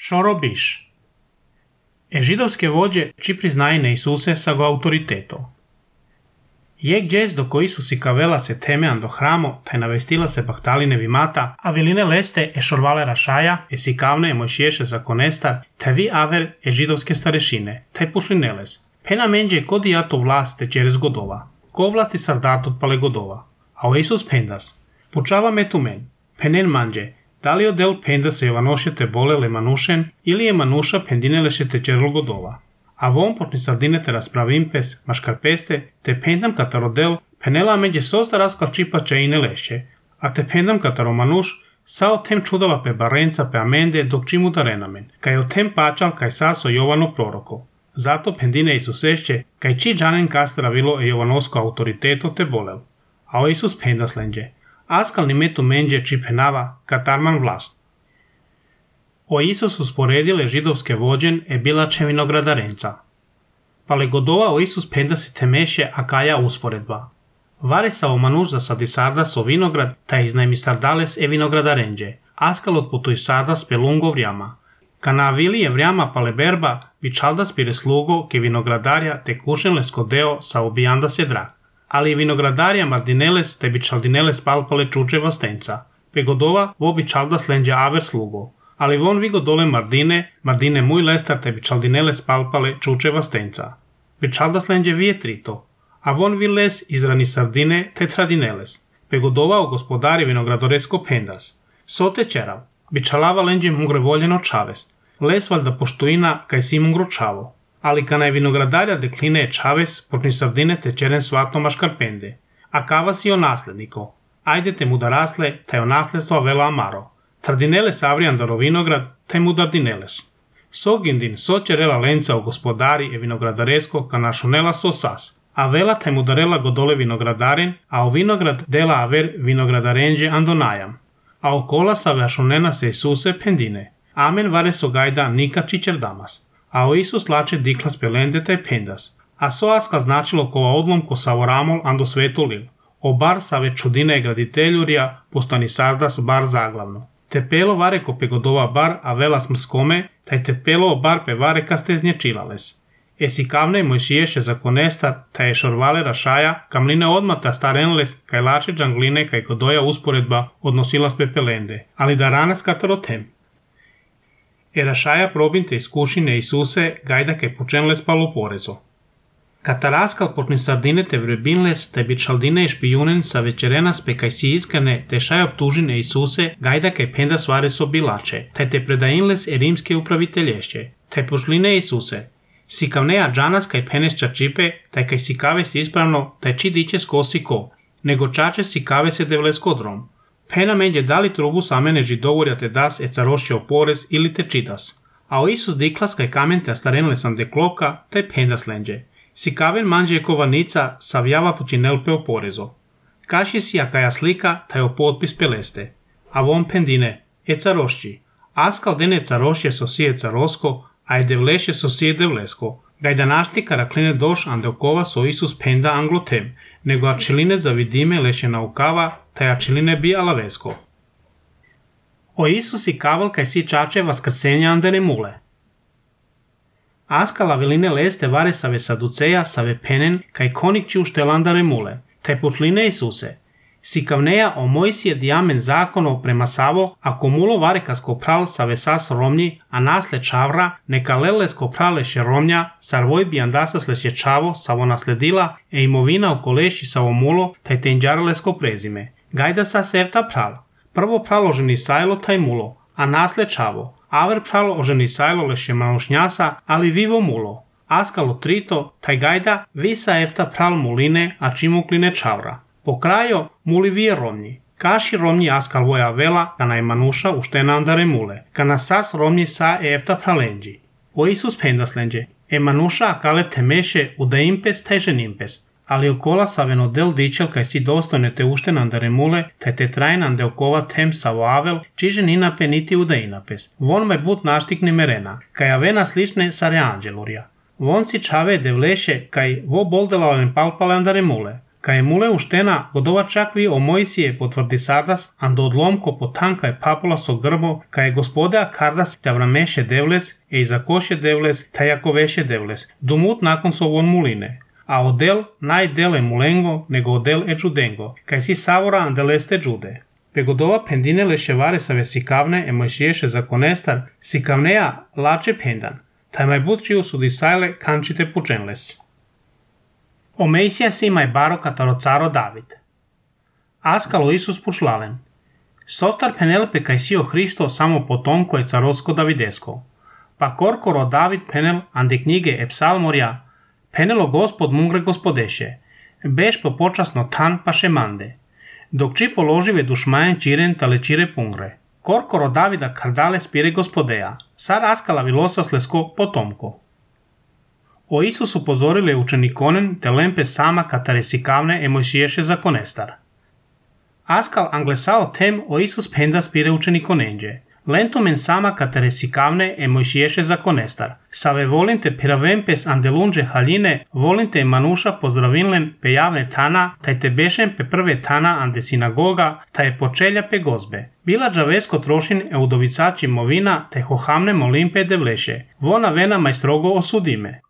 Šorobiš. Židovske vođe či priznajne Isuse sa go autoriteto. Je gdjes doko Isus i kavela se temean do hramo, taj navestila se bahtaline vimata, a viline leste šorvale rašaja, sikavne mojšiješe zakonestar, taj vi aver židovske starešine, taj pušlineles. Pena menđe kodi jato vlast te čeres godova, ko vlasti sardatot pale godova. A o Isus pendas, pučava me tu men, penen manđe, da li odel penda se Jovanoše te bolele manušen, ili je manuša pendineleše te čerlo godova. A von počni sardine te raspravimpes, maškarpeste, te pendam katarodel, penela međe sosta raskal čipača i neleše, a te pendam kataro manuš, sao tem čudala pe barenca pe amende dok čimu da renamen, kaj o tem pačal kaj saso Jovano proroko. Zato pendine Isusešće, kaj či džanen kastara vilo Jovanosko autoriteto te bolel. A o Isus pendas lenđe, askal ni metu menđe či penava katarman vlast. O Isus usporedile židovske vođen bilače vinogradarenca. Pale godova o Isus pendas temeše akaja usporedba. Vare sa o manuš za sadisardas o vinograd, ta iznajmi sardales vinogradarenđe, askal otputuj sardas pelungo vrijama. Kana avili je vrijama pale berba, bičaldas pire slugo ke vinogradarja te kušenles kodeo sa obijanda se drak. Ali vinogradarja mardineles te bičaldineles palpale čuče vastenca. Pe godova vo bičaldas lenđe aver slugo. Ali von vigo dole Mardine muy lestar te bičaldineles palpale čuče vastenca. Bičaldas lenđe vietrito, a von vi les izrani sardine te tradineles. Pe godova o gospodari vinogradoresko pendas. Sote čerav, bičalava lenđe mungre voljeno čaves. Les valjda poštuina kaj si mungro čavo. Ali kana je vinogradarja dekline čaves, počni sardine te čeren svatno maškarpende. A kava si o nasledniko. Ajde te mu da rasle, taj o nasledstva vela amaro. Tradineles avrijandaro vinograd, taj mu dardineles. Sogindin sočerela lenca o gospodari vinogradaresko ka našonela so sas. A vela taj mu darela godole vinogradaren, a o vinograd dela aver vinogradarenđe andonajam. A okola sa vašonena se Isuse pendine. Amen vare so gajda nika čičer damas. A o Isus lače diklas pelende taj pendas. A so aska značilo kova odlom ko savoramol ando svetu lil. O bar sa već čudine graditeljurija, postani sardas bar zaglavno. Tepelo vare ko pegodova bar, a vela smrskome, taj tepelo bar pe vare kasteznje čilales. Sikavne mojšiješe zakonestar, taj šorvale rašaja, kamline odmata starenles, kaj lače džangline, kaj kodoja usporedba odnosila pe pelende, ali da ranas katarotem. Rašaja probinte iskušine Isuse, gajda kaj počenles palo porezo. Kataraskal počni sardine te vrebinles, te bičaldine i špijunen sa večerenas pe kaj si iskane, te šaj optužine Isuse, gajda kaj penda svare so bilače, te te predajinles rimske upravitelješće, te pošline Isuse. Sikavneja džanas kaj penes čačipe, taj kaj sikave si ispravno, taj či diće skosi ko, nego čače sikave se devles kodrom. Pena menđe dali trubu samene židovurja te das carošće o porez ili te čitas. A o Isus diklas kaj kamen te starenle sam de kloka, taj pendas lenđe. Sikaven manđe je kovannica savjava počinelpe o porezo. Kaši si akaja slika, taj o potpis peleste. A von pendine, carošći. Askal dene carošće so sije carosko, a je devleše so sije devlesko. Gajdanašti karakline doš ande okova so Isus penda anglotem, nego ačiline zavidime leše naukava, taj ačiline bi alavesko. O Isus i kaval kaj si čače vaskrsenja andere mule. Askala veline leste vare save saduceja save penen kaj konikći uštelandare mule, taj putline Isuse. Sikavneja o Mojsije diamen zakono prema savo, ako mulo vare kasko pral save sas romnji, a nasle čavra, neka lelesko praleše romnja, sarvoj bi andasas leše čavo, savo nasledila, imovina okoleši savo mulo, taj tenđaralesko prezime. Gajda sa sevta pral. Prvo pralo ženi sajlo taj mulo, a nasle čavo. Aver pralo oženi sajlo leše manušnjasa, ali vivo mulo. Askalo trito, taj gajda visa efta pral muline, a čimukline čavra. Po krajo muli vije romnji. Kaši romnji askal voja vela, kana je manuša uštena andare mule. Kana sas romnji sa efta pralenđi. O Isus pendas lenđe. Manuša akale temeše udaimpes taj ženimpes. Ali okola saveno del dičel kaj si dostojne te uštena andare mule, taj te trajnande okova tem savo avel, čiže ninape niti udainapes. Von me but naštikni merena, kaj avena slične sare anđelurja. Von si čave devleše kaj vo boldelalen palpale andare mule. Ka je mule uštena, godova čakvi o Mojsije potvrdi sardas, ando odlomko potanka je papulaso grbo, ka je gospodea kardas avrameše devles, e izakoše devles, tajakoveše devles, dumut nakon sovon muline. A odel najdele mulengo, nego odel e judengo, kaj si savora andeleste jude. Pegodova pendine leševare sa vesikavne e Mojsiješe zakonestar, sikavnea lače pendan, taj mai butčiu sudisajle kančite pučenles. O Mejsija si mai baro kataro caro David. Askalo Isus pučlalen. Sostar penel pe kaj sio Hristo samo potomko je carosko davidesko. Pa korkoro David penel ande knjige e psalmorja, penelo gospod mungre gospodeše, beš po počasno tan pa šemande. Dok či položive dušmajen čiren tale čire pungre. Korkoro Davida kardale spire gospodeja, sar askala vilosa slesko potomko. O Isus upozorile učenikonen te lempe sama katare sikavne e Mojsiješe zakonestar. Askal anglesao tem o Isus penda spire učenikonenđe. Lentomen sama katare sikavne e Mojsiješe zakonestar. Save volinte piravempes andelunđe haljine, volinte manuša pozdravinlen pe javne tana, taj te bešen pe prve tana ande sinagoga, taj je počelja pe gozbe. Bila džavesko trošin e udovicači movina, taj hohamne molimpe devleše. Vona vena majstrogo osudime.